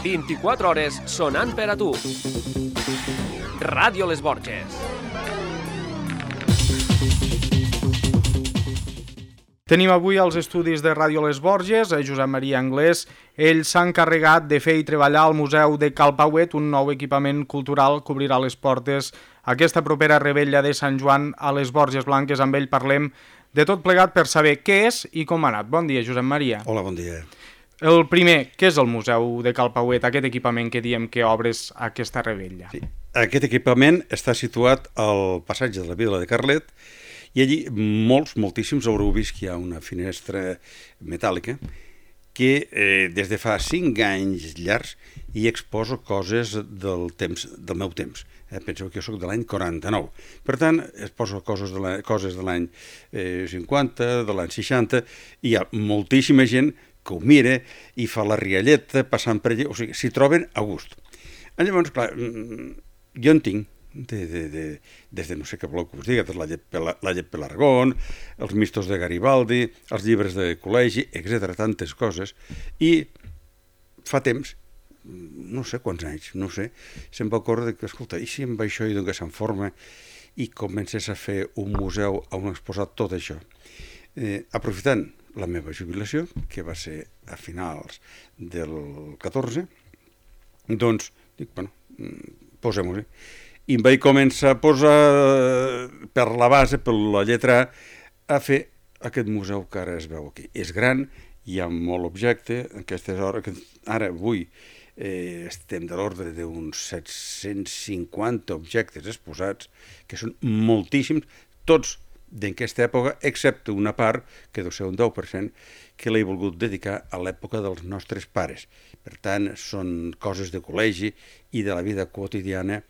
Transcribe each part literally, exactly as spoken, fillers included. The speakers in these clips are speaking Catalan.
vint-i-quatre hores sonant per a tu. Ràdio Les Borges. Tenim avui als estudis de Ràdio Les Borges a Josep Maria Anglès. Ell s'ha encarregat de fer i treballar al Museu de Cal Pauet, un nou equipament cultural que obrirà les portes aquesta propera revetlla de Sant Joan a les Borges Blanques. Amb ell parlem de tot plegat per saber què és i com ha anat. Bon dia, Josep Maria. Hola, bon dia. El primer, què és el Museu de Cal Pauet, aquest equipament que diem que obres aquesta revetlla? Sí. Aquest equipament està situat al passatge de la Vila de Carlet i allí molts, moltíssims haureu vist que hi ha una finestra metàl·lica que eh, des de fa cinc anys llargs hi exposo coses del temps, del meu temps. Eh, penseu que jo soc de l'any quaranta-nou. Per tant, exposo coses de la, coses de l'any eh, cinquanta, de l'any seixanta, i hi ha moltíssima gent que ho mira i fa la rialleta passant per allà, o sigui, s'hi troben a gust. Llavors, clar, jo en tinc, de, de, de, des de no sé què voleu que us digui, la llet, la llet Pelargón, els mistos de Garibaldi, els llibres de col·legi, etcètera, tantes coses, i fa temps, no sé quants anys, no sé, se'm va ocórrer que, escolta, i si amb això hi dones en forma i comences a fer un museu on exposar tot això? Eh, aprofitant la meva jubilació, que va ser a finals del catorze, doncs, dic, bueno, posem-ho-hi. I em vaig començar a posar per la base, per la lletra A, a fer aquest museu que ara es veu aquí. És gran, hi ha molt objecte, aquestes hores, ara avui eh, estem de l'ordre d'uns set-cents cinquanta objectes exposats, que són moltíssims, tots d'aquesta època, excepte una part, que deu ser un deu per cent, que l'he volgut dedicar a l'època dels nostres pares. Per tant, són coses de col·legi i de la vida quotidiana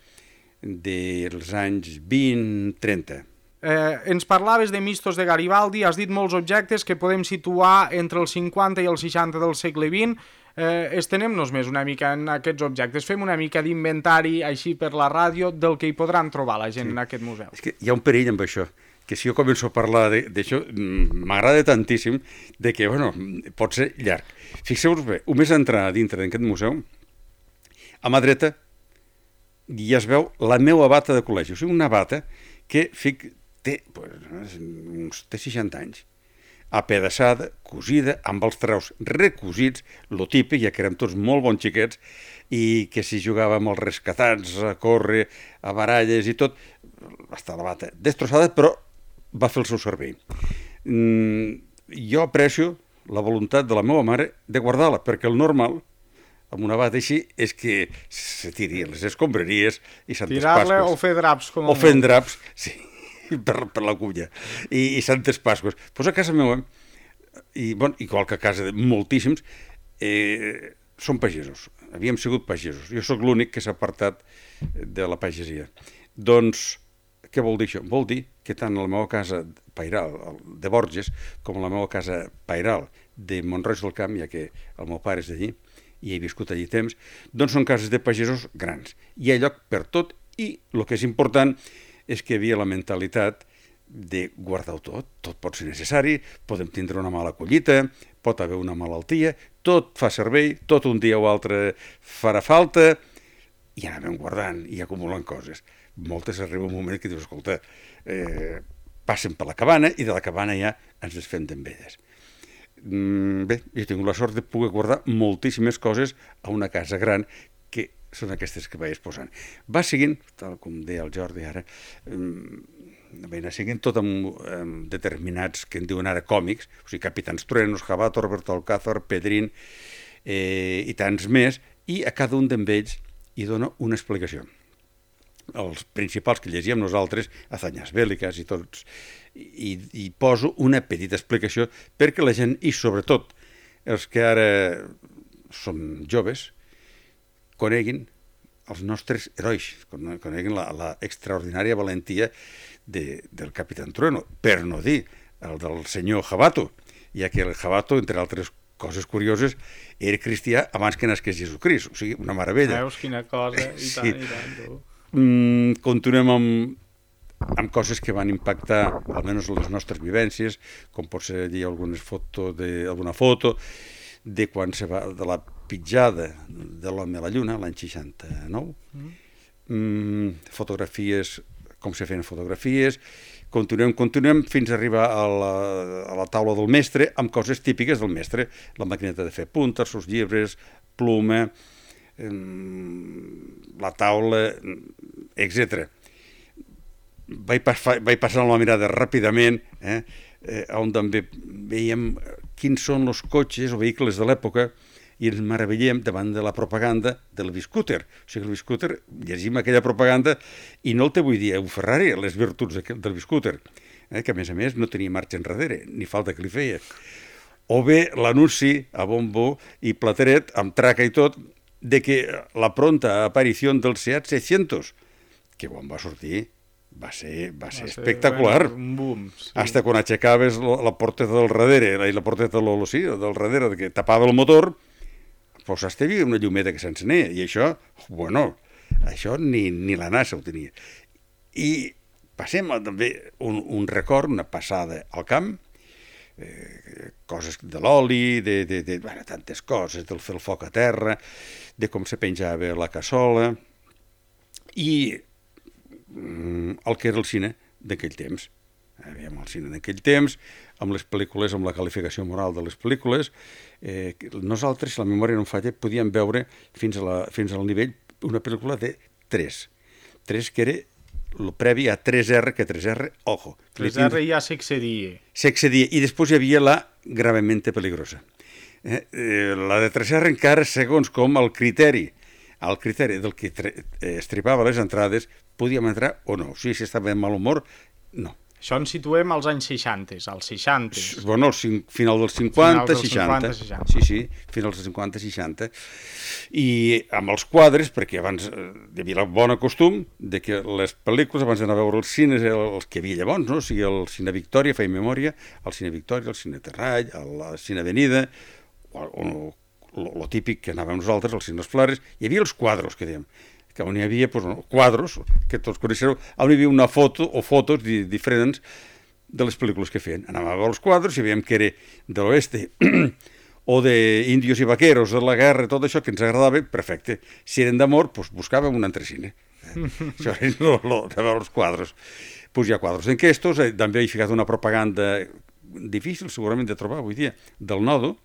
dels anys vint trenta. Eh, ens parlaves de mistos de Garibaldi, has dit molts objectes que podem situar entre els cinquanta i els seixanta del segle vint. Eh, estenem-nos més una mica en aquests objectes, fem una mica d'inventari així per la ràdio del que hi podran trobar la gent sí. en aquest museu. És que hi ha un perill amb això, que si jo començo a parlar d'això, m'agrada tantíssim de que, bueno, pot ser llarg. Fixeu-vos bé, només entrar dintre d'aquest museu, a mà dreta ja es veu la meva bata de col·legi, o sigui, una bata que fic, té, pues, uns, té seixanta anys, apedaçada, cosida, amb els traus recosits, lo típic, ja que érem tots molt bons xiquets, i que si jugàvem als rescatats, a córrer, a baralles i tot, està la bata destrossada, però va fer el seu servei. Mm, jo aprecio la voluntat de la meva mare de guardar-la, perquè el normal, amb una bata així, és que se tiri les escombraries i Santes Pasques. Tirar-la o fer draps. Com o fent draps, sí, per, per la culla. I, i Santes Pasques. Doncs pues a casa meva, i, bon, igual que a casa de moltíssims, eh, són pagesos. Havíem sigut pagesos. Jo sóc l'únic que s'ha apartat de la pagesia. Doncs, què vol dir això? Vol dir que tant a la meva casa pairal de Borges com a la meva casa pairal de Mont-roig del Camp, ja que el meu pare és d'allí, i he viscut allí temps, doncs són cases de pagesos grans. Hi ha lloc per tot i el que és important és que hi havia la mentalitat de guardar-ho tot. Tot pot ser necessari, podem tindre una mala collita, pot haver una malaltia, tot fa servei, tot un dia o altre farà falta, i anàvem guardant i acumulant coses. Moltes arriba un moment que dius, escolta, eh, passen per la cabana i de la cabana ja ens desfem d'elles. Bé, jo he tingut la sort de poder guardar moltíssimes coses a una casa gran que són aquestes que vaig exposant. Va seguint, tal com deia el Jordi ara, va anar seguint tot amb, amb determinats que en diuen ara còmics, o sigui, Capitans Truenos, Jabato, Roberto Alcázar, Pedrín eh, i tants més, i a cada un d'ells hi dona una explicació. Els principals que llegíem nosaltres, Hazañas Bélicas i tots, i, i poso una petita explicació perquè la gent, i sobretot els que ara som joves, coneguin els nostres herois, coneguin la, la extraordinària valentia de, del Capitán Trueno, per no dir el del senyor Jabato, ja que el Jabato, entre altres coses curioses, era cristià abans que nasqués Jesucrist, o sigui, una meravella. Veus quina cosa, i tant, sí. i tant, tu. Mm, continuem amb, amb coses que van impactar almenys les nostres vivències, com pot ser allí algunes foto de, alguna foto de quan se va, de la pitjada de l'home a la Lluna, l'any seixanta-nou, mm. Mm, fotografies, com se feien fotografies, continuem, continuem fins a arribar a la, a la taula del mestre amb coses típiques del mestre, la maquineta de fer puntes, els llibres, pluma, eh, la taula, etcètera. Vaig, pas, vaig passar la mirada ràpidament, eh, eh, on també veiem quins són els cotxes o vehicles de l'època i ens meravellem davant de la propaganda del Biscooter. O sigui, el Biscooter, llegim aquella propaganda i no el té avui dia un Ferrari, les virtuts del Biscooter, eh, que a més a més no tenia marxa enrere, ni falta que li feia. O bé l'anunci a bombo i plateret, amb traca i tot, de que la pronta aparició del Seat seiscientos, que quan va sortir va ser, va ser va espectacular. Ser un boom, sí. Hasta quan aixecaves la porteta del darrere, i la porteta del, sí, del darrere, que tapava el motor, pues hasta hi havia una llumeta que s'encenia, i això, bueno, això ni, ni la NASA ho tenia. I passem a, també un, un record, una passada al camp, eh, coses de l'oli, de, de, de bueno, tantes coses, del fer el foc a terra, de com se penjava la cassola, i el que era el cine d'aquell temps. Aviam, el cine d'aquell temps, amb les pel·lícules, amb la qualificació moral de les pel·lícules, eh, nosaltres, si la memòria no em falla, podíem veure fins, a la, fins al nivell una pel·lícula de tres. tres que era el previ a tres erre, que tres erre, ojo. tres erre ja s'excedia. S'excedia, i després hi havia la gravemente peligrosa. Eh, eh, la de tres erre encara, segons com el criteri, el criteri del que estripava les entrades, podíem entrar o no. O sigui, si estava en mal humor, no. Això ens situem als anys seixanta, als seixanta. Bueno, al final dels cinquanta, dels seixanta. cinquanta, seixanta. Sí, sí, finals dels cinquanta, seixanta. I amb els quadres, perquè abans hi havia el bon costum de que les pel·lícules, abans d'anar a veure els cines, els que hi havia llavors, no? O sigui, el Cine Victòria, feia memòria, el Cine Victòria, el Cine Terrall, el Cine Avenida, o, o lo típic que anàvem nosaltres, els cines Flares, hi havia els quadros, que dèiem, que on hi havia pues, no, quadros, que tots coneixereu, on hi havia una foto o fotos di diferents de les pel·lícules que feien. Anàvem a veure els quadros i veiem que era de l'oeste o d'índios i vaqueros, de la guerra, tot això que ens agradava, perfecte. Si eren d'amor, pues, buscàvem un altre cine. Eh? Això és lo, lo, de veure els quadros. Pues hi ha quadros d'enquestos, eh, també he ficat una propaganda difícil, segurament, de trobar avui dia, del Nodo,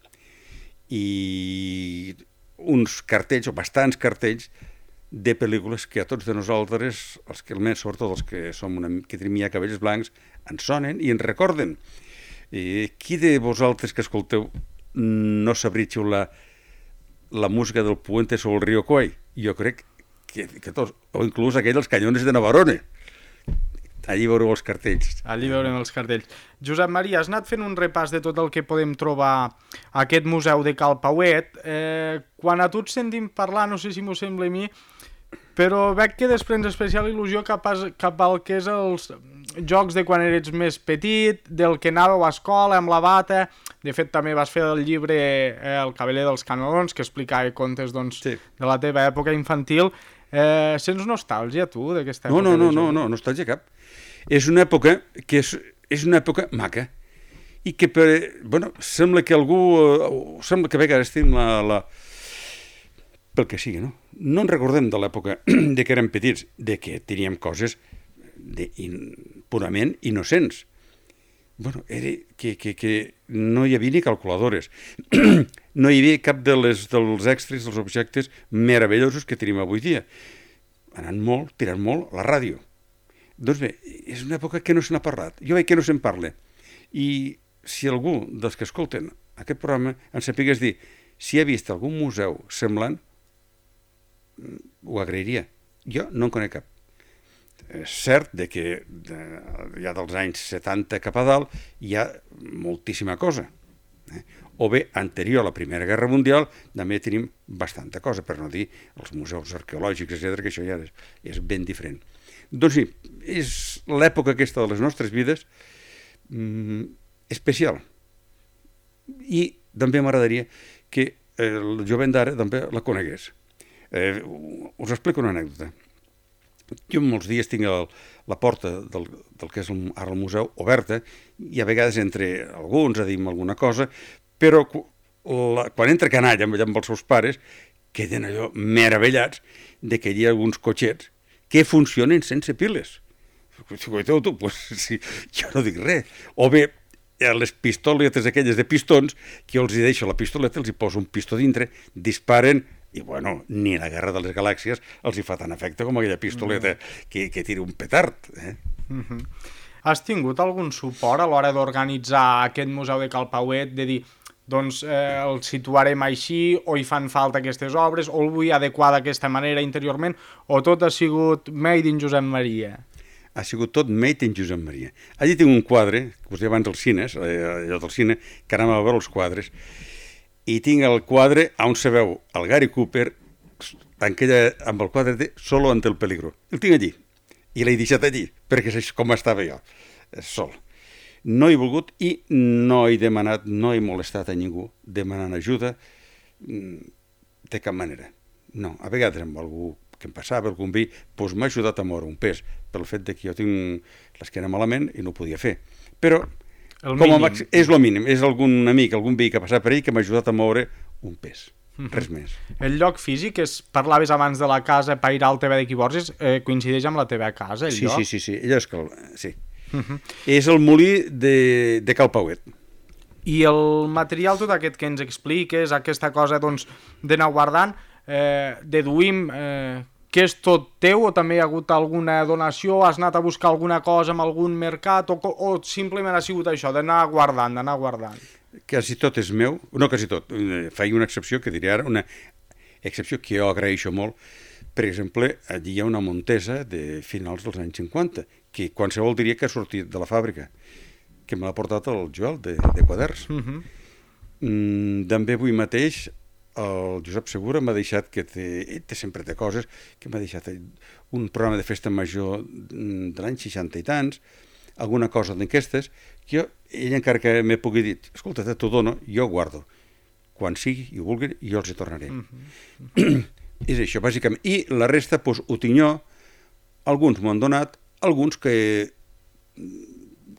i uns cartells, o bastants cartells, de pel·lícules que a tots de nosaltres, els que almenys, sobretot els que som una, que tenim ja cabells blancs, ens sonen i ens recorden. I qui de vosaltres que escolteu no sabria xiular la música del Puente sobre el Río Kwai? Jo crec que, que tots, o inclús aquell dels Canyones de Navarone. Allí veureu els cartells. Allí veurem els cartells. Josep Maria, has anat fent un repàs de tot el que podem trobar a aquest museu de Cal Pauet. Eh, quan a tu et sentim parlar, no sé si m'ho sembla a mi, però veig que desprens especial il·lusió cap, a, cap al que és els jocs de quan eres més petit, del que anàveu a escola amb la bata. De fet, també vas fer el llibre eh, El cabeler dels canelons, que explicava contes doncs, sí. de la teva època infantil. Eh, sents nostàlgia, tu, d'aquesta època? No, no, no, no, no, nostàlgia cap. És una època que és, és una època maca i que, per, bueno, sembla que algú, eh, sembla que a vegades tenim la, la... pel que sigui, no? No ens recordem de l'època de que érem petits, de que teníem coses de, in, purament innocents. Bueno, era que, que, que no hi havia ni calculadores, no hi havia cap de les, dels extras, dels objectes meravellosos que tenim avui dia. Anant molt, tirant molt, la ràdio. Doncs bé, és una època que no se n'ha parlat. Jo veig que no se'n parla. I si algú dels que escolten aquest programa ens sapigués dir si ha vist algun museu semblant, ho agrairia. Jo no en conec cap. És cert de que de, ja dels anys setanta cap a dalt hi ha moltíssima cosa. Eh? O bé, anterior a la Primera Guerra Mundial, també tenim bastanta cosa, per no dir els museus arqueològics, etcètera, que això ja és, és ben diferent. Doncs sí, és l'època aquesta de les nostres vides mm, especial. I també m'agradaria que el jovent d'ara també la conegués. Eh, us explico una anècdota. Jo molts dies tinc el, la porta del, del que és el, ara el museu oberta i a vegades entre alguns a dir-me alguna cosa, però la, quan entra canalla amb, amb els seus pares, queden allò meravellats de que hi ha alguns cotxets que funcionen sense piles. Tu, tu, pues, sí, jo no dic res. O bé, les pistoletes aquelles de pistons, que jo els hi deixo la pistoleta, els hi poso un pistó dintre, disparen, i bueno, ni la Guerra de les Galàxies els hi fa tant efecte com aquella pistoleta que, que tira un petard. Eh? Uh-huh. Has tingut algun suport a l'hora d'organitzar aquest museu de Cal Pauet, de dir, doncs eh, el situarem així, o hi fan falta aquestes obres, o el vull adequar d'aquesta manera interiorment, o tot ha sigut made in Josep Maria? Ha sigut tot made in Josep Maria. Allí tinc un quadre, que us deia abans als cines, allò del cine, que anàvem a veure els quadres, i tinc el quadre on se veu el Gary Cooper en aquella, amb el quadre de Solo ante el peligro. El tinc allí, i l'he deixat allí, perquè és com estava jo, sol. No he volgut i no he demanat, no he molestat a ningú demanant ajuda de cap manera. No, a vegades amb algú que em passava, algun vi, doncs m'ha ajudat a moure un pes, pel fet de que jo tinc l'esquena malament i no ho podia fer. Però el com a mínim. màxim, és el mínim, és algun amic, algun vi que ha passat per ell que m'ha ajudat a moure un pes, uh-huh. Res més. El lloc físic, és, parlaves abans de la casa Pairal al T V de Quiborges, eh, coincideix amb la teva casa, el sí, lloc? Sí, sí, sí, allò és que... Sí. Uh-huh. És el molí de, de Cal Pauet. I el material tot aquest que ens expliques, aquesta cosa doncs, d'anar guardant, eh, deduïm eh, que és tot teu o també hi ha hagut alguna donació, has anat a buscar alguna cosa en algun mercat o, o simplement ha sigut això, d'anar guardant, d'anar guardant? Quasi tot és meu, no quasi tot, faig una excepció que diré ara, una excepció que jo agraeixo molt. Per exemple, allí hi ha una Montesa de finals dels anys cinquanta, que qualsevol diria que ha sortit de la fàbrica, que me l'ha portat el Joel, de, de Quaders. Uh-huh. mm, també avui mateix el Josep Segura m'ha deixat, que té, ell té, sempre té coses, que m'ha deixat un programa de festa major de l'any seixanta i tants, alguna cosa d'aquestes, que jo, ell encara que m'he pugui dir, escolta, t'ho dono, jo ho guardo. Quan sigui i ho vulgui, jo els hi tornaré. Uh-huh. És això, bàsicament. I la resta, doncs, ho tinc jo, alguns m'ho han donat, alguns que,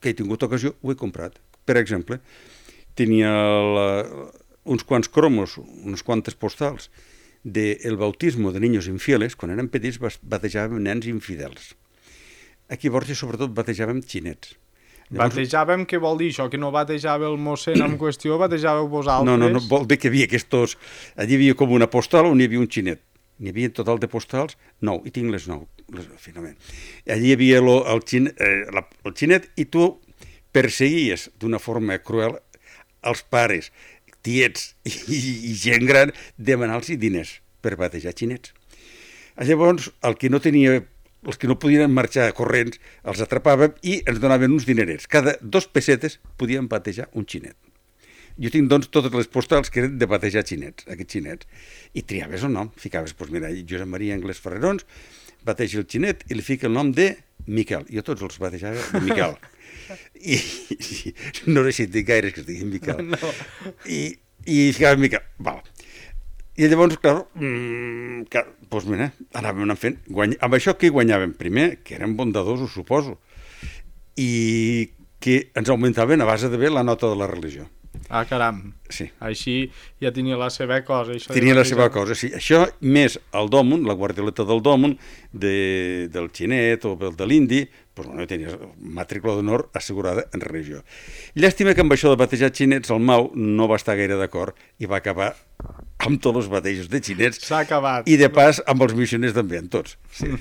que he tingut ocasió ho he comprat. Per exemple, tenia la, uns quants cromos, unes quantes postals del bautismo de niños infieles. Quan érem petits batejàvem nens infidels. Aquí a Borges sobretot batejàvem xinets. Llavors... Batejàvem, què vol dir això? Que no batejava el mossèn en qüestió, batejàveu vosaltres? No, no, no, vol dir que hi havia aquests... Allí hi havia com una postal on hi havia un xinet. N'hi havia en total de postals nou, i tinc les nou, les, finalment. Allí hi havia lo, el, xin, eh, la, el xinet i tu perseguies d'una forma cruel els pares, tiets i, i gent gran demanar-los diners per batejar xinets. Llavors, el que no tenia, els que no podien marxar corrents, els atrapàvem i ens donaven uns dinerets. Cada dos pessetes podien batejar un xinet. Jo tinc, doncs, totes les postals que eren de batejar xinets, aquests xinets. I triaves el nom, ficaves, doncs mira, Josep Maria Anglès Ferrerons, bateja el xinet i li fica el nom de Miquel. Jo tots els batejava de Miquel. I, i no he sentit gaire que es digui Miquel. No. I, i ficava Miquel. Val. I llavors, clar, mmm, clar doncs mira, anàvem fent. Guany... Amb això què guanyàvem? Primer, que érem bondadosos, suposo, i que ens augmentaven a base de bé la nota de la religió. Ah, caram. Sí. Així ja tenia la seva cosa. Això tenia la seva cosa, sí. Això més el dòmun, la guardioleta del dòmun, de, del xinet o del de l'indi, doncs bueno, tenia matrícula d'honor assegurada en religió. Llàstima que amb això de batejar xinets el Mau no va estar gaire d'acord i va acabar amb tots els batejos de xinets. S'ha acabat. I de pas amb els missioners també, amb tots. Sí.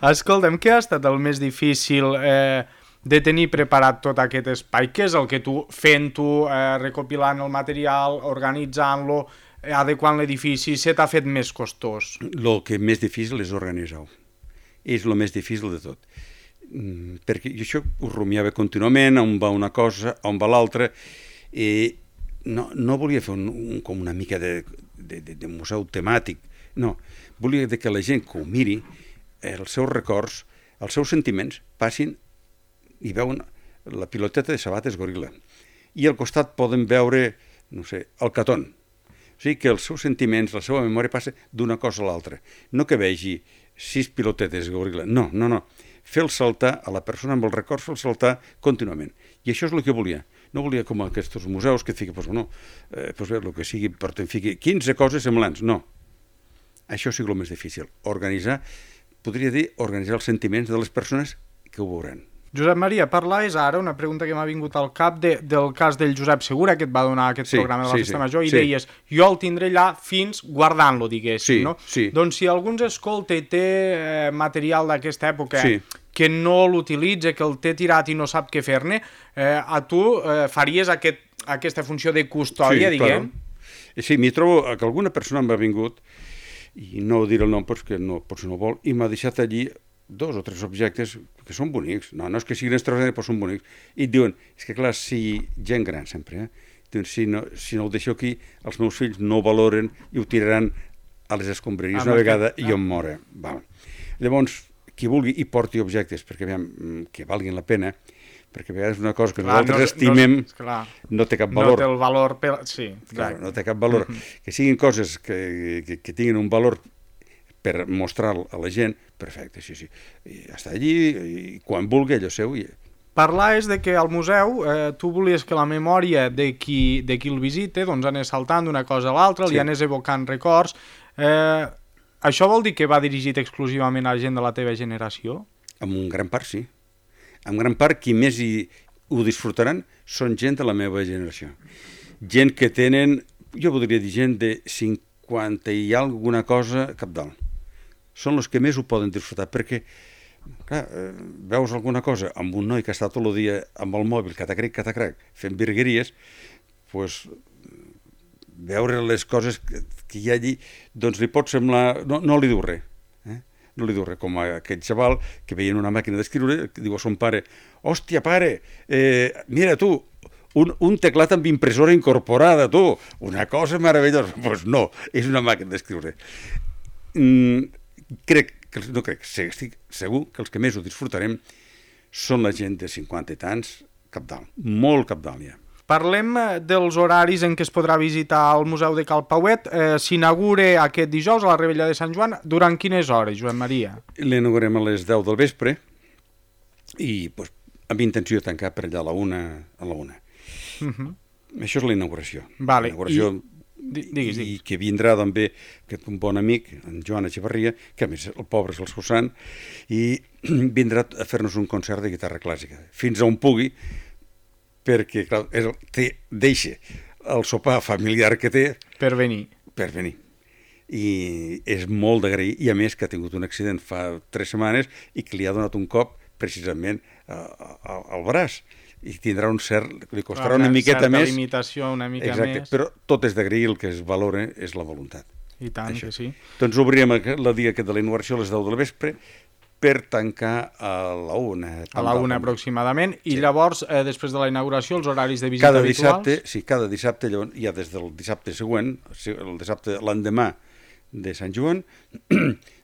Escolta'm, què ha estat el més difícil eh, de tenir preparat tot aquest espai? Què és el que tu, fent-ho, eh, recopilant el material, organitzant-lo, eh, adequant l'edifici, se t'ha fet més costós? El que més difícil és organitzar-ho. És el més difícil de tot. Mm, perquè jo això ho rumiava contínuament, on va una cosa, on va l'altra, i no, no volia fer un, un, com una mica de, de, de, de museu temàtic, no. Volia que la gent que ho miri, els seus records, els seus sentiments, passin i veuen la piloteta de sabates goril·la. I al costat poden veure, no sé, el caton. O sigui que els seus sentiments, la seva memòria passa d'una cosa a l'altra. No que vegi sis pilotetes goril·la. No, no, no. Fer-el saltar a la persona amb els records, fer-el saltar contínuament. I això és el que volia. no volia com aquests museus que et fiqui, doncs, no, eh, doncs bé, el que sigui, però te'n fiqui quinze coses semblants. No. Això sigui el més difícil. Organitzar, podria dir, organitzar els sentiments de les persones que ho veuran. Josep Maria, parlaves ara, una pregunta que m'ha vingut al cap, de, del cas del Josep Segura, que et va donar aquest sí, programa de la sí, Festa sí, Major, i sí. deies, jo el tindré allà fins guardant-lo, diguéssim, Sí, no? sí. Doncs si algú ens escolta i té eh, material d'aquesta època Sí. que no l'utilitza, que el té tirat i no sap què fer-ne, eh, a tu eh, faries aquest, aquesta funció de custòdia, Sí, diguem? claro. Sí, m'hi trobo que alguna persona m'ha vingut, i no diré el nom perquè no, potser no vol, i m'ha deixat allí dos o tres objectes que són bonics. No, no és que siguin extraordinaris, però són bonics. I et diuen, és que clar, si gent gran sempre, eh? Diuen, si no, si no el deixo aquí, els meus fills no ho valoren i ho tiraran a les escombraries una vegada i jo em moro. Val. Llavors, qui vulgui i porti objectes perquè veiem que valguin la pena, perquè a vegades una cosa que Clar, nosaltres no, estimem no, clar, no té cap valor. No té el valor... Per... Sí, Clar, exacte. no té cap valor. Mm-hmm. Que siguin coses que, que, que tinguin un valor per mostrar a la gent, perfecte, sí, sí. I està allí, i quan vulgui, allò seu. I... Parlaves de que al museu eh, tu volies que la memòria de qui, de qui el visita doncs anés saltant d'una cosa a l'altra, Sí. li anés evocant records. Eh, això vol dir que va dirigit exclusivament a la gent de la teva generació? En un gran part, sí. En gran part, qui més hi, ho disfrutaran són gent de la meva generació. Gent que tenen, jo podria dir gent de cinquanta i alguna cosa cap dalt. Són els que més ho poden disfrutar, perquè clar, eh, veus alguna cosa amb un noi que està tot el dia amb el mòbil, catacrec, catacrec, fent virgueries, doncs veure les coses que, que hi ha allí, doncs li pot semblar... No, no li diu res. Eh? No li diu res, com aquell xaval que veien una màquina d'escriure, que diu a son pare, hòstia, pare, eh, mira tu, un, un teclat amb impressora incorporada, tu, una cosa meravellosa. Doncs pues no, és una màquina d'escriure. Mm, crec, que, no crec, estic segur que els que més ho disfrutarem són la gent de cinquanta i tants cap dalt, molt cap dalt ja. Parlem dels horaris en què es podrà visitar el Museu de Cal Pauet. Eh, S'inaugura aquest dijous a la Revetlla de Sant Joan. Durant quines hores, Joan Maria? L'inaugurem a les deu del vespre i pues, amb intenció de tancar per allà a la una. A la una. Uh -huh. Això és la inauguració. Vale. La inauguració I... Digues, i digues. que vindrà també aquest un bon amic, en Joan Echevarria, que a més el pobre és el seu sant, i vindrà a fer-nos un concert de guitarra clàssica, fins on pugui, perquè clar, és el, té, deixa el sopar familiar que té Per venir. per venir. I és molt d'agrair, i a més que ha tingut un accident fa tres setmanes i que li ha donat un cop precisament al braç. I tindrà un cert, li costarà una, una miqueta certa més. limitació, una mica Exacte, més. però tot és d'agrair, el que es valora és la voluntat. I tant Això. que sí. Doncs obrirem el dia aquest de la inauguració a les deu del vespre per tancar a la una. A la una aproximadament. I Sí. llavors, eh, després de la inauguració, els horaris de visita Cada habituals? dissabte, sí, cada dissabte, llavors, ja des del dissabte següent, el dissabte l'endemà de Sant Joan,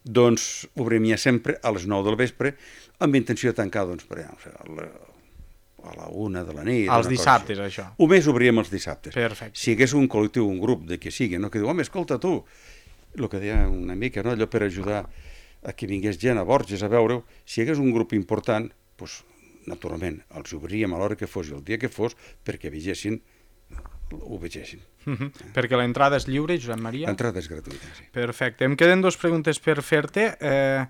doncs obrim ja sempre a les nou del vespre amb intenció de tancar, doncs, per allà, a la, a la una de la nit. Els una dissabtes, cosa així. això. Només obríem els dissabtes. Perfecte. Si hi hagués un col·lectiu, un grup de que sigui, no? Que diu, home, escolta tu, el que deia una mica, no? Allò per ajudar a que vingués gent a Borges a veure-ho, si hi hagués un grup important, doncs, naturalment, els obríem a l'hora que fos i el dia que fos perquè vegessin, ho vegessin. Uh -huh. Perquè l'entrada és lliure, Josep Maria? L'entrada és gratuïta, sí. Perfecte. Em queden dues preguntes per fer-te. Eh,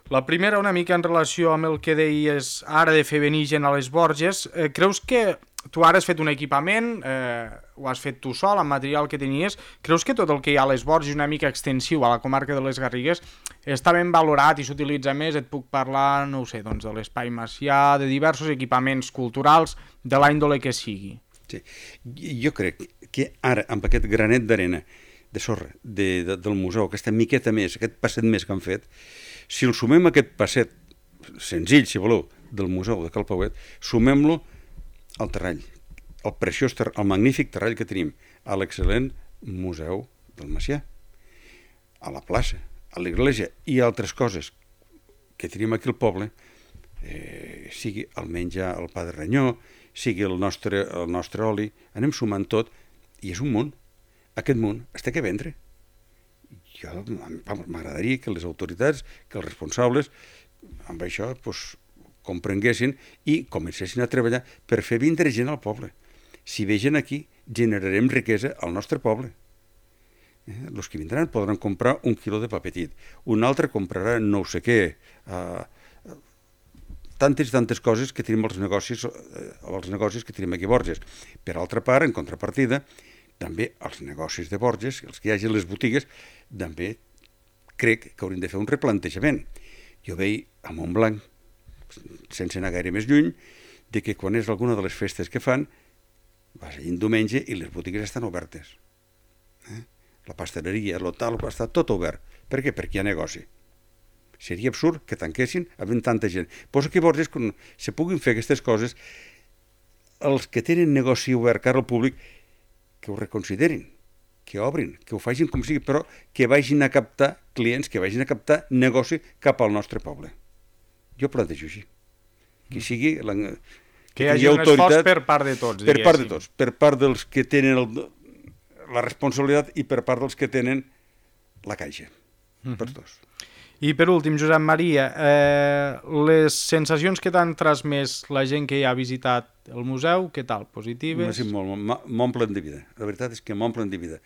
la primera, una mica en relació amb el que deies ara de fer venir gent a les Borges. Eh, creus que tu ara has fet un equipament, eh, ho has fet tu sol, amb material que tenies. Creus que tot el que hi ha a les Borges, una mica extensiu a la comarca de les Garrigues, està ben valorat i s'utilitza més? Et puc parlar, no ho sé, doncs, de l'Espai Macià, de diversos equipaments culturals, de la índole que sigui. Sí. Jo crec que ara, amb aquest granet d'arena, de sorra, de, de, del museu, aquesta miqueta més, aquest passet més que han fet, si el sumem a aquest passet senzill, si voleu, del museu de Cal Pauet, sumem-lo al terrall, el preciós, ter el magnífic terrall que tenim, a l'excel·lent museu del Macià, a la plaça, a l'església i altres coses que tenim aquí al poble, eh, sigui el menjar al pa de ranyó, sigui el nostre, el nostre oli, anem sumant tot i és un munt. Aquest munt es té que vendre. Jo m'agradaria que les autoritats, que els responsables, amb això, doncs, comprenguessin i comencessin a treballar per fer vindre gent al poble. Si ve gent aquí, generarem riquesa al nostre poble. Eh? Els que vindran podran comprar un quilo de pa petit, un altre comprarà no sé què, eh, tantes i tantes coses que tenim als negocis, eh, als negocis que tenim aquí a Borges. Per altra part, en contrapartida, també els negocis de Borges, els que hi hagi les botigues, també crec que haurien de fer un replantejament. Jo veig a Montblanc, sense anar gaire més lluny, de que quan és alguna de les festes que fan, vas allà un diumenge i les botigues estan obertes. Eh? La pasteleria, l'hotel, està tot obert. Per què? Perquè hi ha negoci. Seria absurd que tanquessin havent tanta gent. Posa que Borges, quan se puguin fer aquestes coses, els que tenen negoci obert cara al públic, que ho reconsiderin, que obrin, que ho facin com sigui, però que vagin a captar clients, que vagin a captar negoci cap al nostre poble. Jo plantejo així. Que sigui... La, que hi hagi un esforç per part de tots, per part de tots, per part dels que tenen el, la responsabilitat i per part dels que tenen la caixa, uh-huh. per tots. I per últim, Josep Maria, eh, les sensacions que t'han transmès la gent que hi ha visitat el museu, què tal? Positives? M'omplen de vida, la veritat és que m'omplen de vida.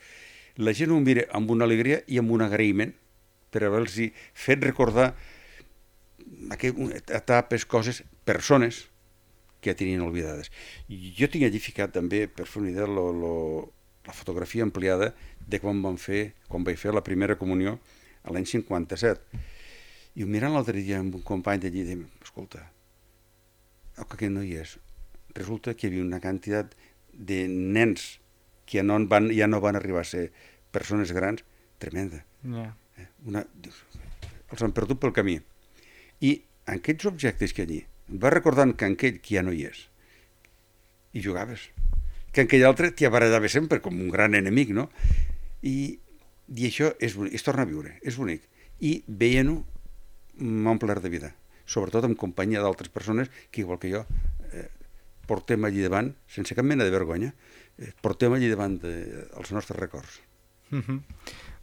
La gent ho mira amb una alegria i amb un agraïment per haver-los fet recordar etapes, coses, persones que ja tenien oblidades. Jo tinc allí ficat també, per fer una idea, lo, lo, la fotografia ampliada de quan vam fer, quan vaig fer la primera comunió a l'any cinquanta-set. I ho mirant l'altre dia amb un company d'allí, i dèiem, escolta, oh, que aquest no hi és. Resulta que hi havia una quantitat de nens que ja no van, ja no van arribar a ser persones grans, tremenda. Yeah. Una, els han perdut pel camí. I en aquests objectes que allí, em va recordant que aquell que ja no hi és, i jugaves, que aquell altre t'hi barallava sempre com un gran enemic, no? I, i això és bonic, es torna a viure, és bonic. I veient-ho m'ha omplert de vida, sobretot en companyia d'altres persones que, igual que jo, eh, portem allí davant, sense cap mena de vergonya, eh, portem allí davant de, els nostres records. Uh-huh.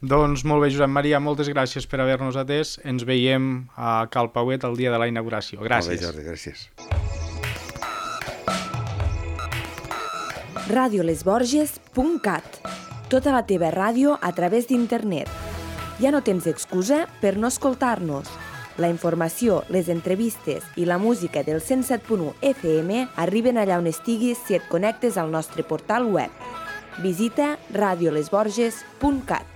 Doncs molt bé, Josep Maria, moltes gràcies per haver-nos atès. Ens veiem a Cal Pauet el dia de la inauguració. Gràcies. Molt bé, Jordi, gràcies. radio les borges punt cat. Tota la teva ràdio a través d'internet. Ja no tens excusa per no escoltar-nos. La informació, les entrevistes i la música del cent set punt u F M arriben allà on estiguis si et connectes al nostre portal web. Visita radio les borges punt cat.